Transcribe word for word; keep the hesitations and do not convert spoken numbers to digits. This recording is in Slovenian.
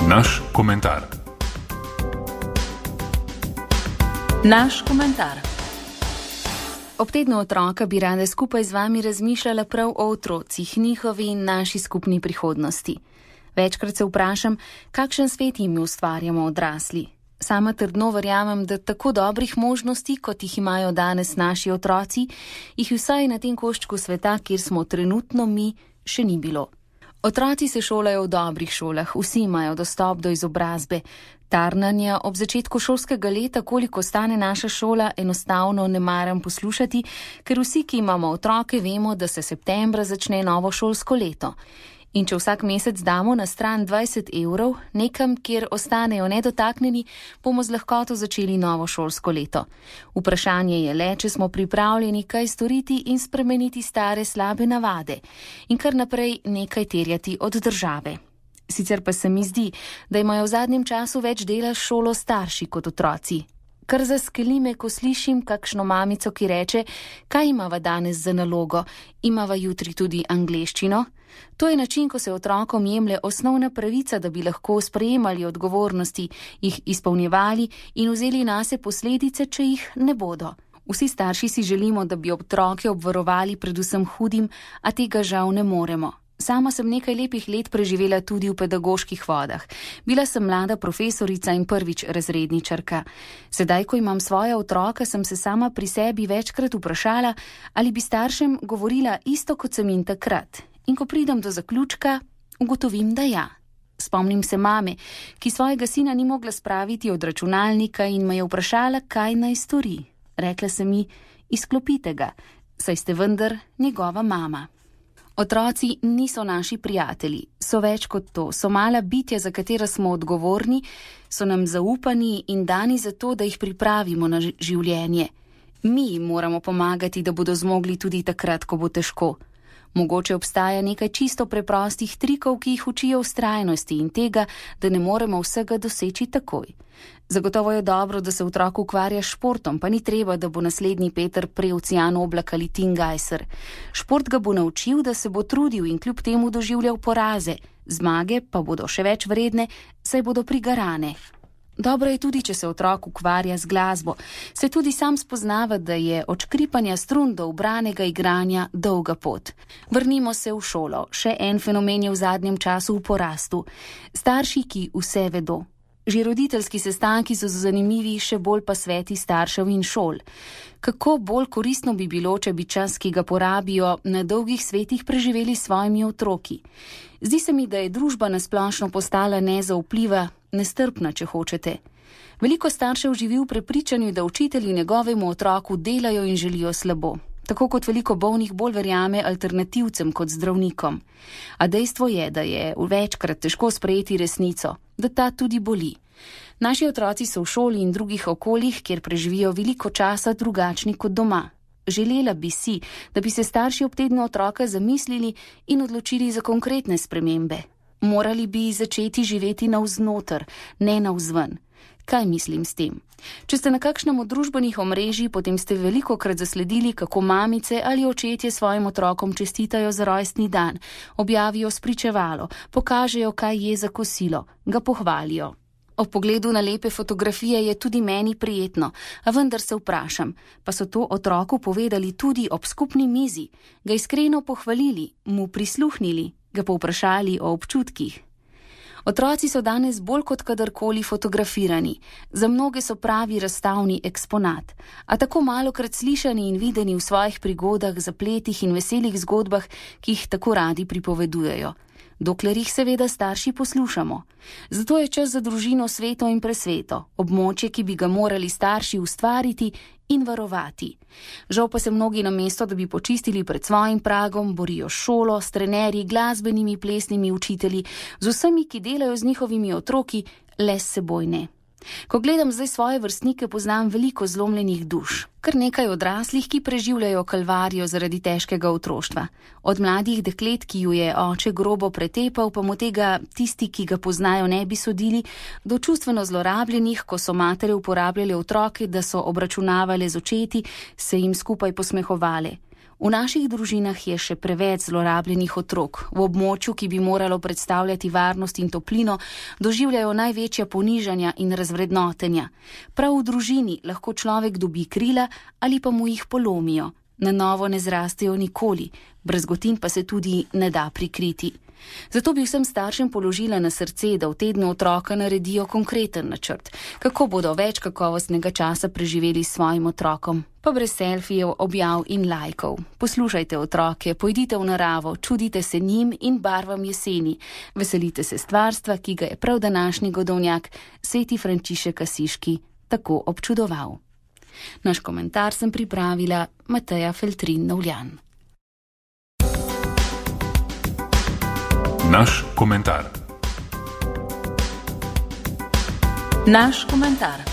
Naš komentar. Naš komentar. Ob tednu otroka bi rada skupaj z vami razmišljala prav o otrocih, njihovi in naši skupni prihodnosti. Večkrat se vprašam, kakšen svet jim ustvarjamo odrasli. Sama trdno verjamem, da tako dobrih možnosti, kot jih imajo danes naši otroci, jih vsaj na tem koščku sveta, kjer smo trenutno mi, še ni bilo. Otroci se šolajo v dobrih šolah, vsi imajo dostop do izobrazbe. Tarnanja ob začetku šolskega leta, koliko stane naša šola, enostavno ne maram poslušati, ker vsi, ki imamo otroke, vemo, da se septembra začne novo šolsko leto. In če vsak mesec damo na stran dvajset evrov, nekam, kjer ostanejo nedotaknjeni, bomo z lahkoto začeli novo šolsko leto. Vprašanje je le, če smo pripravljeni kaj storiti in spremeniti stare slabe navade in kar naprej nekaj terjati od države. Sicer pa se mi zdi, da imajo v zadnjem času več dela s šolo starši kot otroci. Kar zaskeli me, ko slišim kakšno mamico, ki reče, kaj imava danes za nalogo, imava jutri tudi angleščino. To je način, ko se otrokom jemlje osnovna pravica, da bi lahko sprejemali odgovornosti, jih izpolnjevali in vzeli nase posledice, če jih ne bodo. Vsi starši si želimo, da bi otroke obvarovali predvsem hudim, a tega žal ne moremo. Sama sem nekaj lepih let preživela tudi v pedagoških vodah. Bila sem mlada profesorica in prvič razredničarka. Sedaj, ko imam svoja otroka, sem se sama pri sebi večkrat vprašala, ali bi staršem govorila isto, kot sem jim takrat. In ko pridem do zaključka, ugotovim, da ja. Spomnim se mame, ki svojega sina ni mogla spraviti od računalnika in me je vprašala, kaj naj stori. Rekla sem mi, izklopite ga, saj ste vendar njegova mama. Otroci niso naši prijatelji, so več kot to, so mala bitja, za katera smo odgovorni, so nam zaupani in dani za to, da jih pripravimo na življenje. Mi jim moramo pomagati, da bodo zmogli tudi takrat, ko bo težko. Mogoče obstaja nekaj čisto preprostih trikov, ki jih učijo vztrajnosti in tega, da ne moremo vsega doseči takoj. Zagotovo je dobro, da se otrok ukvarja s športom, pa ni treba, da bo naslednji Peter Preocean Oblak ali Tim Gajser. Šport ga bo naučil, da se bo trudil in kljub temu doživljal poraze, zmage pa bodo še več vredne, saj bodo prigarane. Dobro je tudi, če se otrok ukvarja z glasbo, se tudi sam spoznava, da je od škripanja strun do ubranega igranja dolga pot. Vrnimo se v šolo, še en fenomen je v zadnjem času v porastu. Starši, ki vse vedo. Že roditeljski sestanki so zanimivi, še bolj pa sveti staršev in šol. Kako bolj koristno bi bilo, če bi čas, ki ga porabijo, na dolgih svetih preživeli s svojimi otroki. Zdi se mi, da je družba nasplošno postala nezaupljiva, nestrpna, če hočete. Veliko staršev živi v prepričanju, da učitelji njegovemu otroku delajo in želijo slabo. Tako kot veliko bolnih bolj verjame alternativcem kot zdravnikom. A dejstvo je, da je večkrat težko sprejeti resnico, da ta tudi boli. Naši otroci so v šoli in drugih okoljih, kjer preživijo veliko časa drugačni kot doma. Želela bi si, da bi se starši ob tednu otroka zamislili in odločili za konkretne spremembe. Morali bi začeti živeti navznoter, ne navzven. Kaj mislim s tem? Če ste na kakšnem od družbenih omrežij, potem ste velikokrat zasledili, kako mamice ali očetje svojim otrokom čestitajo za rojstni dan, objavijo spričevalo, pokažejo, kaj je za kosilo, ga pohvalijo. Ob pogledu na lepe fotografije je tudi meni prijetno, a vendar se vprašam, pa so to otroku povedali tudi ob skupni mizi, ga iskreno pohvalili, mu prisluhnili, ga povprašali o občutkih. Otroci so danes bolj kot kadarkoli fotografirani, za mnoge so pravi razstavni eksponat, a tako malokrat slišani in videni v svojih prigodah, zapletih in veselih zgodbah, ki jih tako radi pripovedujejo. Dokler jih seveda starši poslušamo. Zato je čas za družino sveto in presveto, območje, ki bi ga morali starši ustvariti in varovati. Žal pa se mnogi namesto, da bi počistili pred svojim pragom, borijo s šolo, s trenerji, glasbenimi, plesnimi učitelji, z vsemi, ki delajo z njihovimi otroki, le s seboj ne. Ko gledam zdaj svoje vrstnike, poznam veliko zlomljenih duš. Kar nekaj odraslih, ki preživljajo kalvarijo zaradi težkega otroštva. Od mladih deklet, ki ju je oče grobo pretepal, pa mu tega tisti, ki ga poznajo, ne bi sodili, do čustveno zlorabljenih, ko so matere uporabljale otroke, da so obračunavale z očeti, se jim skupaj posmehovale. V naših družinah je še preveč zlorabljenih otrok. V območju, ki bi moralo predstavljati varnost in toplino, doživljajo največja ponižanja in razvrednotenja. Prav v družini lahko človek dobi krila ali pa mu jih polomijo. Na novo ne zrastejo nikoli, brazgotin pa se tudi ne da prikriti. Zato bi vsem staršem položila na srce, da v tednu otroka naredijo konkreten načrt, kako bodo več kakovostnega časa preživeli s svojim otrokom, pa brez selfijev, objav in lajkov. Poslušajte otroke, pojdite v naravo, čudite se njim in barvam jeseni, veselite se stvarstva, ki ga je prav današnji godovnjak, sveti Frančišek Asiški, tako občudoval. Naš komentar sem pripravila Mateja Feltrin-Novljan. Naš komentar. Naš komentar.